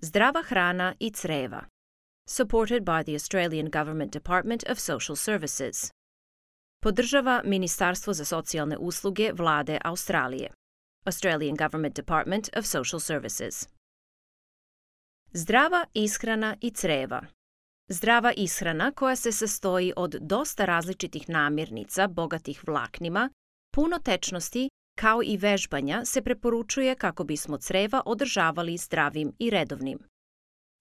Zdrava hrana i creva. Supported by the Australian Government Department of Social Services. Podržava Ministarstvo za socijalne usluge Vlade Australije. Australian Government Department of Social Services. Zdrava ishrana i creva. Zdrava ishrana koja se sastoji od dosta različitih namirnica bogatih vlaknima, puno tečnosti, kao i vežbanja se preporučuje kako bismo creva održavali zdravim i redovnim.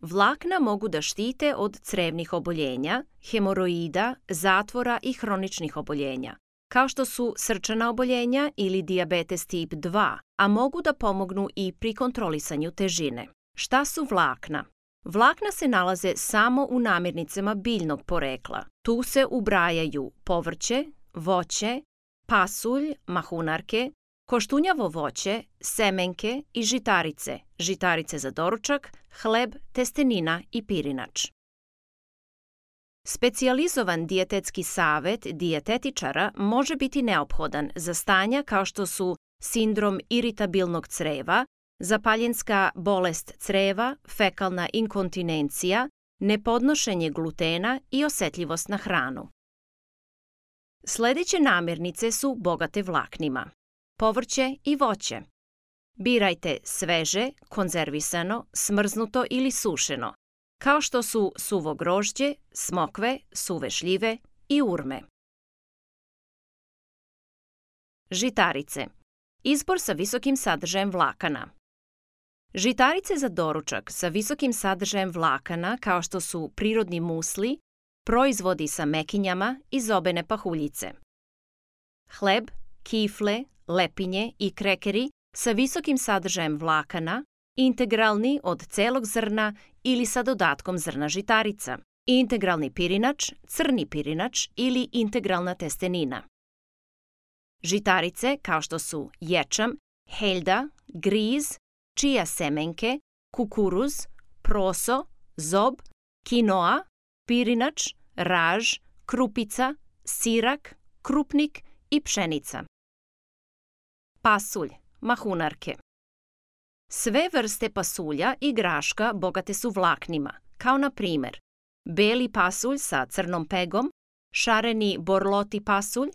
Vlakna mogu da štite od crevnih oboljenja, hemoroida, zatvora i hroničnih oboljenja, kao što su srčana oboljenja ili dijabetes tip 2, a mogu da pomognu i pri kontrolisanju težine. Šta su vlakna? Vlakna se nalaze samo u namirnicama biljnog porekla. Tu se ubrajaju povrće, voće, pasulj, mahunarke, koštunjavo voće, semenke i žitarice, žitarice za doručak, hleb, testenina i pirinač. Specijalizovan dijetetski savet dijetetičara može biti neophodan za stanja kao što su sindrom iritabilnog creva, zapaljenska bolest creva, fekalna inkontinencija, nepodnošenje glutena i osetljivost na hranu. Sledeće namirnice su bogate vlaknima. Povrće i voće. Birajte sveže, konzervisano, smrznuto ili sušeno, kao što su suvo grožđe, smokve, suve šljive i urme. Žitarice. Izbor sa visokim sadržajem vlakana. Žitarice za doručak sa visokim sadržajem vlakana, kao što su prirodni musli, proizvodi sa mekinjama i zobene pahuljice. Hleb, kifle, lepinje i krekeri sa visokim sadržajem vlakana, integralni od celog zrna ili sa dodatkom zrna žitarica, integralni pirinač, crni pirinač ili integralna testenina. Žitarice kao što su ječam, heljda, griz, čija semenke, kukuruz, proso, zob, kinoa, pirinač, raž, krupica, sirak, krupnik i pšenica. Pasulj, mahunarke. Sve vrste pasulja i graška bogate su vlaknima, kao na primer beli pasulj sa crnom pegom, šareni borloti pasulj,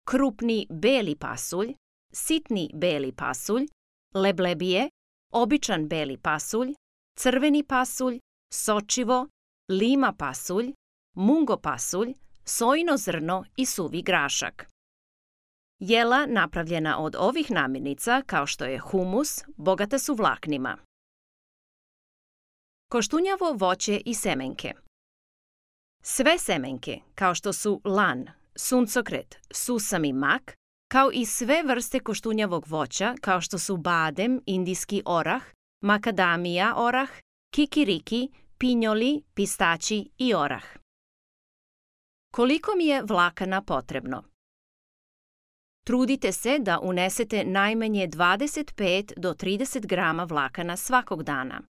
krupni beli pasulj, sitni beli pasulj, leblebije, običan beli pasulj, crveni pasulj, sočivo, lima pasulj, mungo pasulj, sojino zrno i suvi grašak. Jela napravljena od ovih namirnica, kao što je humus, bogata su vlaknima. Koštunjavo voće i semenke. Sve semenke, kao što su lan, suncokret, susam i mak, kao i sve vrste koštunjavog voća, kao što su badem, indijski orah, makadamija orah, kikiriki, pinjoli, pistaći i orah. Koliko mi je vlakana potrebno? Trudite se da unesete najmanje 25 do 30 grama vlakana svakog dana.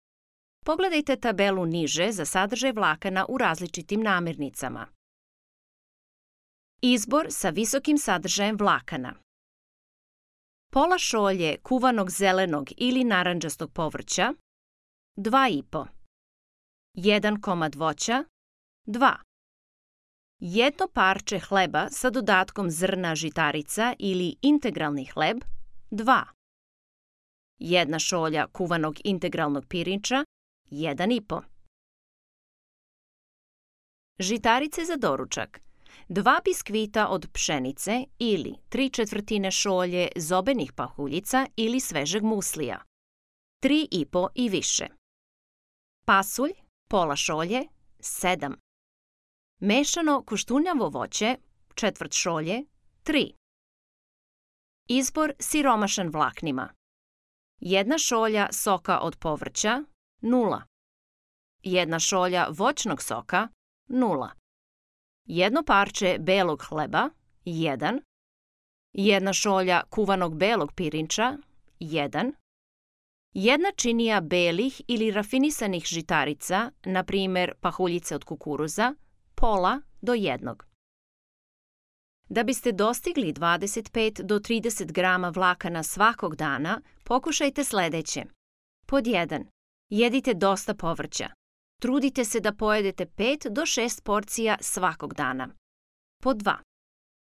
Pogledajte tabelu niže za sadržaj vlakana u različitim namirnicama. Izbor sa visokim sadržajem vlakana. Pola šolje kuvanog zelenog ili narandžastog povrća, 2,5. 1 komad voća, 2. Jedno parče hleba sa dodatkom zrna žitarica ili integralni hleb, 2. Jedna šolja kuvanog integralnog pirinča, 1,5. Žitarice za doručak. 2 biskvita od pšenice ili 3/4 šolje zobenih pahuljica ili svežeg muslija, 3,5 i više. Pasulj, pola šolje, 7. Mešano koštunjavo voće, 1/4 šolje, 3. Izbor siromašan vlaknima. 1 šolja soka od povrća, 0. 1 šolja voćnog soka, 0. Jedno parče belog hleba, 1. 1 šolja kuvanog belog pirinča, 1. 1 činija belih ili rafinisanih žitarica, na primer pahuljice od kukuruza, pola do 1. Da biste dostigli 25 do 30 grama vlakana svakog dana, pokušajte sledeće. Pod 1. Jedite dosta povrća. Trudite se da pojedete 5 do 6 porcija svakog dana. Pod 2.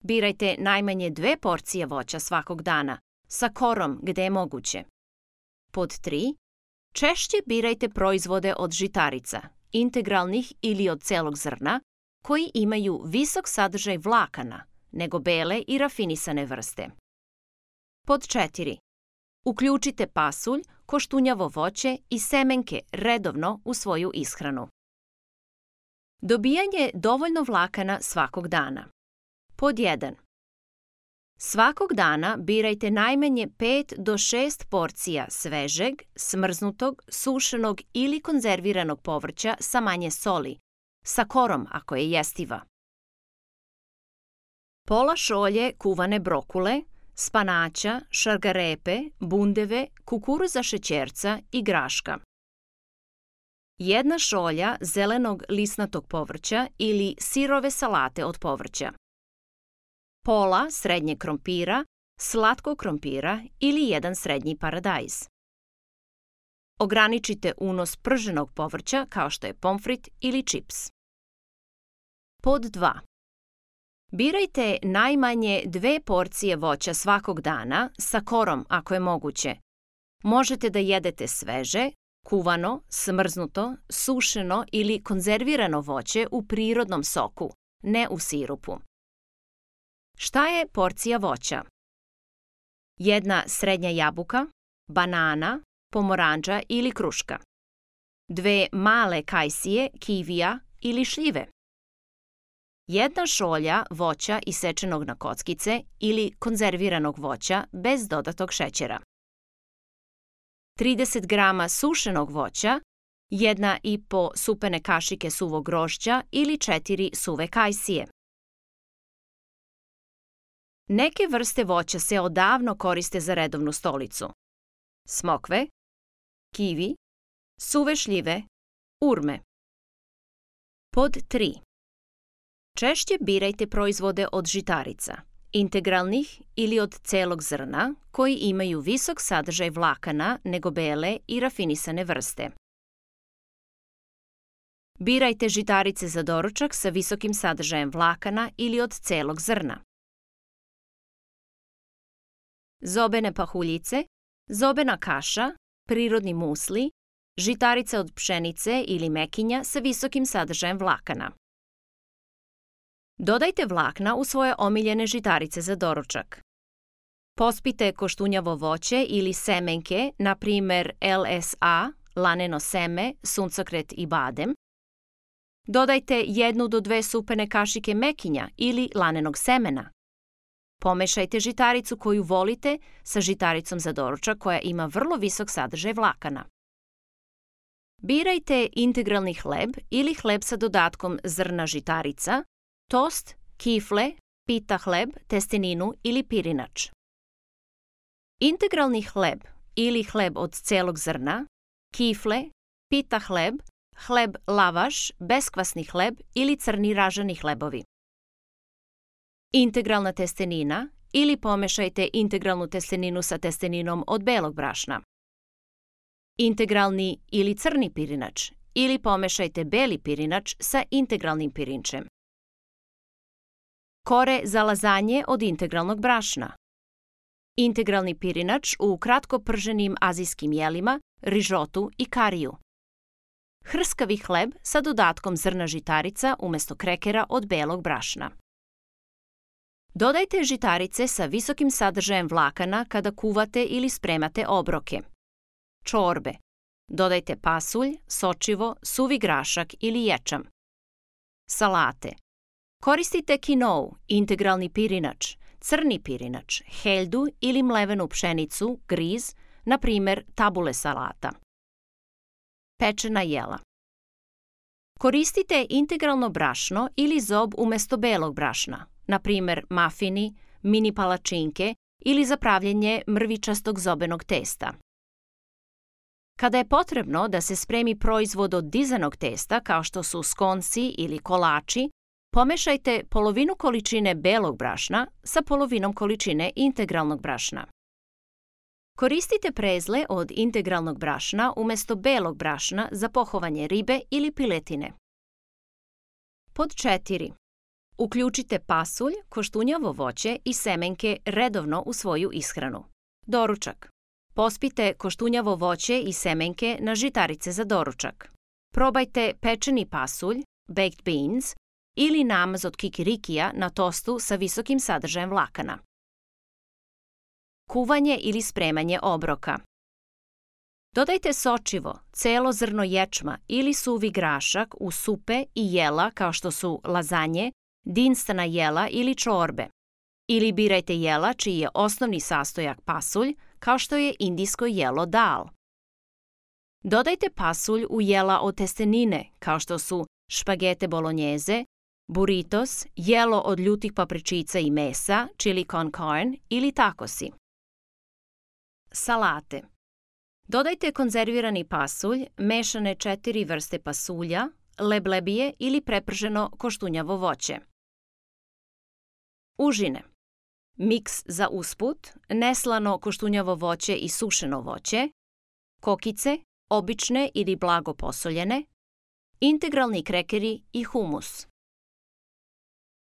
Birajte najmanje 2 porcije voća svakog dana, sa korom gde je moguće. Pod 3. Češće birajte proizvode od žitarica, integralnih ili od celog zrna, koji imaju visok sadržaj vlakana, nego bele i rafinisane vrste. Pod 4. Uključite pasulj, koštunjavo voće i semenke redovno u svoju ishranu. Dobijanje dovoljno vlakana svakog dana. Pod 1. Svakog dana birajte najmanje 5 do 6 porcija svežeg, smrznutog, sušenog ili konzerviranog povrća sa manje soli, sa korom ako je jestiva. Pola šolje kuvane brokule, spanaća, šargarepe, bundeve, kukuruza šećerca i graška. 1 šolja zelenog lisnatog povrća ili sirove salate od povrća. Pola srednjeg krompira, slatkog krompira ili 1 srednji paradajz. Ograničite unos prženog povrća kao što je pomfrit ili čips. Pod 2. Birajte najmanje 2 porcije voća svakog dana sa korom ako je moguće. Možete da jedete sveže, kuvano, smrznuto, sušeno ili konzervirano voće u prirodnom soku, ne u sirupu. Šta je porcija voća? 1 srednja jabuka, banana, pomorandža ili kruška. 2 male kajsije, kivija ili šljive. 1 šolja voća isečenog na kockice ili konzerviranog voća bez dodatog šećera. 30 grama sušenog voća, 1,5 supene kašike suvog grožđa ili 4 suve kajsije. Neke vrste voća se odavno koriste za redovnu stolicu. Smokve, kivi, suve šljive, urme. Pod 3. Češće birajte proizvode od žitarica, integralnih ili od celog zrna, koji imaju visok sadržaj vlakana nego bele i rafinisane vrste. Birajte žitarice za doručak sa visokim sadržajem vlakana ili od celog zrna. Zobene pahuljice, zobena kaša, prirodni musli, žitarice od pšenice ili mekinja sa visokim sadržajem vlakana. Dodajte vlakna u svoje omiljene žitarice za doručak. Pospite koštunjavo voće ili semenke, na primer LSA, laneno seme, suncokret i badem. Dodajte 1 do 2 supene kašike mekinja ili lanenog semena. Pomešajte žitaricu koju volite sa žitaricom za doručak koja ima vrlo visok sadržaj vlakana. Birajte integralni hleb ili hleb sa dodatkom zrna žitarica, tost, kifle, pita hleb, testeninu ili pirinač. Integralni hleb ili hleb od celog zrna, kifle, pita hleb, hleb lavaš, beskvasni hleb ili crni ražani hlebovi. Integralna testenina ili pomešajte integralnu testeninu sa testeninom od belog brašna. Integralni ili crni pirinač ili pomešajte beli pirinač sa integralnim pirinčem. Kore za lazanje od integralnog brašna. Integralni pirinač u kratko prženim azijskim jelima, rižotu i kariju. Hrskavi hleb sa dodatkom zrna žitarica umesto krekera od belog brašna. Dodajte žitarice sa visokim sadržajem vlakana kada kuvate ili spremate obroke. Čorbe. Dodajte pasulj, sočivo, suvi grašak ili ječam. Salate. Koristite kinou, integralni pirinač, crni pirinač, heljdu ili mlevenu pšenicu, griz, na primer tabule salata. Pečena jela. Koristite integralno brašno ili zob umesto belog brašna, na primer mafini, mini palačinke ili za pravljenje mrvičastog zobenog testa. Kada je potrebno da se spremi proizvod od dizanog testa, kao što su skonci ili kolači, pomešajte polovinu količine belog brašna sa polovinom količine integralnog brašna. Koristite prezle od integralnog brašna umjesto belog brašna za pohovanje ribe ili piletine. Pod 4. Uključite pasulj, koštunjavo voće i semenke redovno u svoju ishranu. Doručak. Pospite koštunjavo voće i semenke na žitarice za doručak. Probajte pečeni pasulj, baked beans, ili namaz od kikirikija na tostu sa visokim sadržajem vlakana. Kuvanje ili spremanje obroka. Dodajte sočivo, celo zrno ječma ili suvi grašak u supe i jela kao što su lazanje, dinstana jela ili čorbe. Ili birajte jela čiji je osnovni sastojak pasulj, kao što je indijsko jelo dal. Dodajte pasulj u jela od testenine, kao što su špagete bolognese, burritos, jelo od ljutih papričica i mesa, chili con carne ili takosi. Salate. Dodajte konzervirani pasulj, mešane 4 vrste pasulja, leblebije ili preprženo koštunjavo voće. Užine. Miks za usput, neslano koštunjavo voće i sušeno voće, kokice, obične ili blago posoljene, integralni krekeri i humus.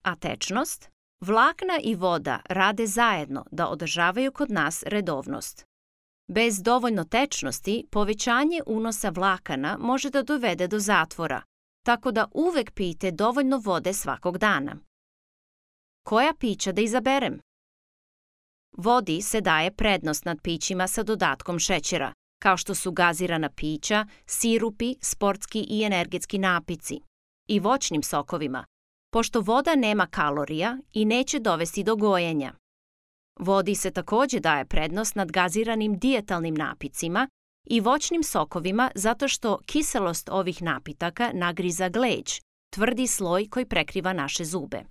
A tečnost? Vlakna i voda rade zajedno da održavaju kod nas redovnost. Bez dovoljno tečnosti, povećanje unosa vlakana može da dovede do zatvora, tako da uvek pijte dovoljno vode svakog dana. Koja pića da izaberem? Vodi se daje prednost nad pićima sa dodatkom šećera, kao što su gazirana pića, sirupi, sportski i energetski napici, i voćnim sokovima, pošto voda nema kalorija i neće dovesti do gojenja. Vodi se takođe daje prednost nad gaziranim dijetalnim napicima i voćnim sokovima zato što kiselost ovih napitaka nagriza gleđ, tvrdi sloj koji prekriva naše zube.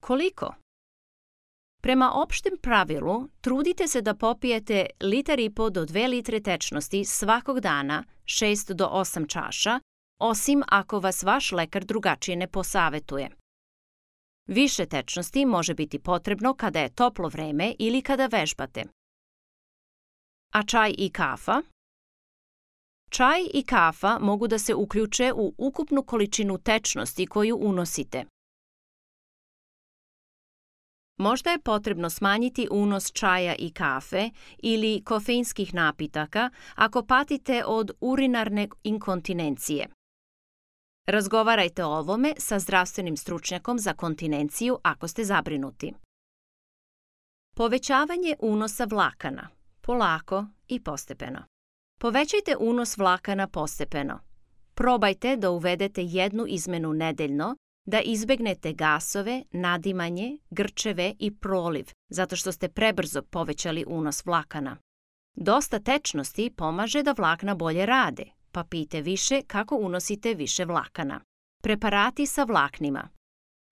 Koliko? Prema opštem pravilu, trudite se da popijete 1,5 do 2 litre tečnosti svakog dana, 6 do 8 čaša, osim ako vas vaš lekar drugačije ne posavetuje. Više tečnosti može biti potrebno kada je toplo vreme ili kada vežbate. A čaj i kafa? Čaj i kafa mogu da se uključe u ukupnu količinu tečnosti koju unosite. Možda je potrebno smanjiti unos čaja i kafe ili kofeinskih napitaka ako patite od urinarne inkontinencije. Razgovarajte o ovome sa zdravstvenim stručnjakom za kontinenciju ako ste zabrinuti. Povećavanje unosa vlakana. Polako i postepeno. Povećajte unos vlakana postepeno. Probajte da uvedete jednu izmenu nedeljno, da izbegnete gasove, nadimanje, grčeve i proliv, zato što ste prebrzo povećali unos vlakana. Dosta tečnosti pomaže da vlakna bolje rade, pa pijte više kako unosite više vlakana. Preparati sa vlaknima.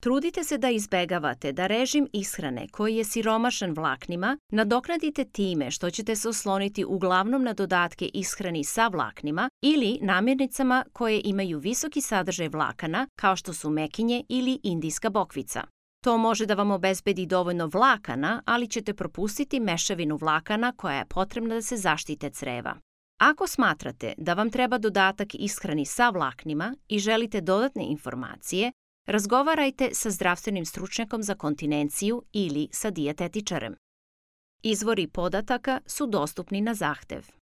Trudite se da izbegavate da režim ishrane koji je siromašan vlaknima nadoknadite time što ćete se osloniti uglavnom na dodatke ishrani sa vlaknima ili namirnicama koje imaju visoki sadržaj vlakana kao što su mekinje ili indijska bokvica. To može da vam obezbedi dovoljno vlakana, ali ćete propustiti mešavinu vlakana koja je potrebna da se zaštite creva. Ako smatrate da vam treba dodatak ishrani sa vlaknima i želite dodatne informacije, razgovarajte sa zdravstvenim stručnjakom za kontinenciju ili sa dijetetičarem. Izvori podataka su dostupni na zahtev.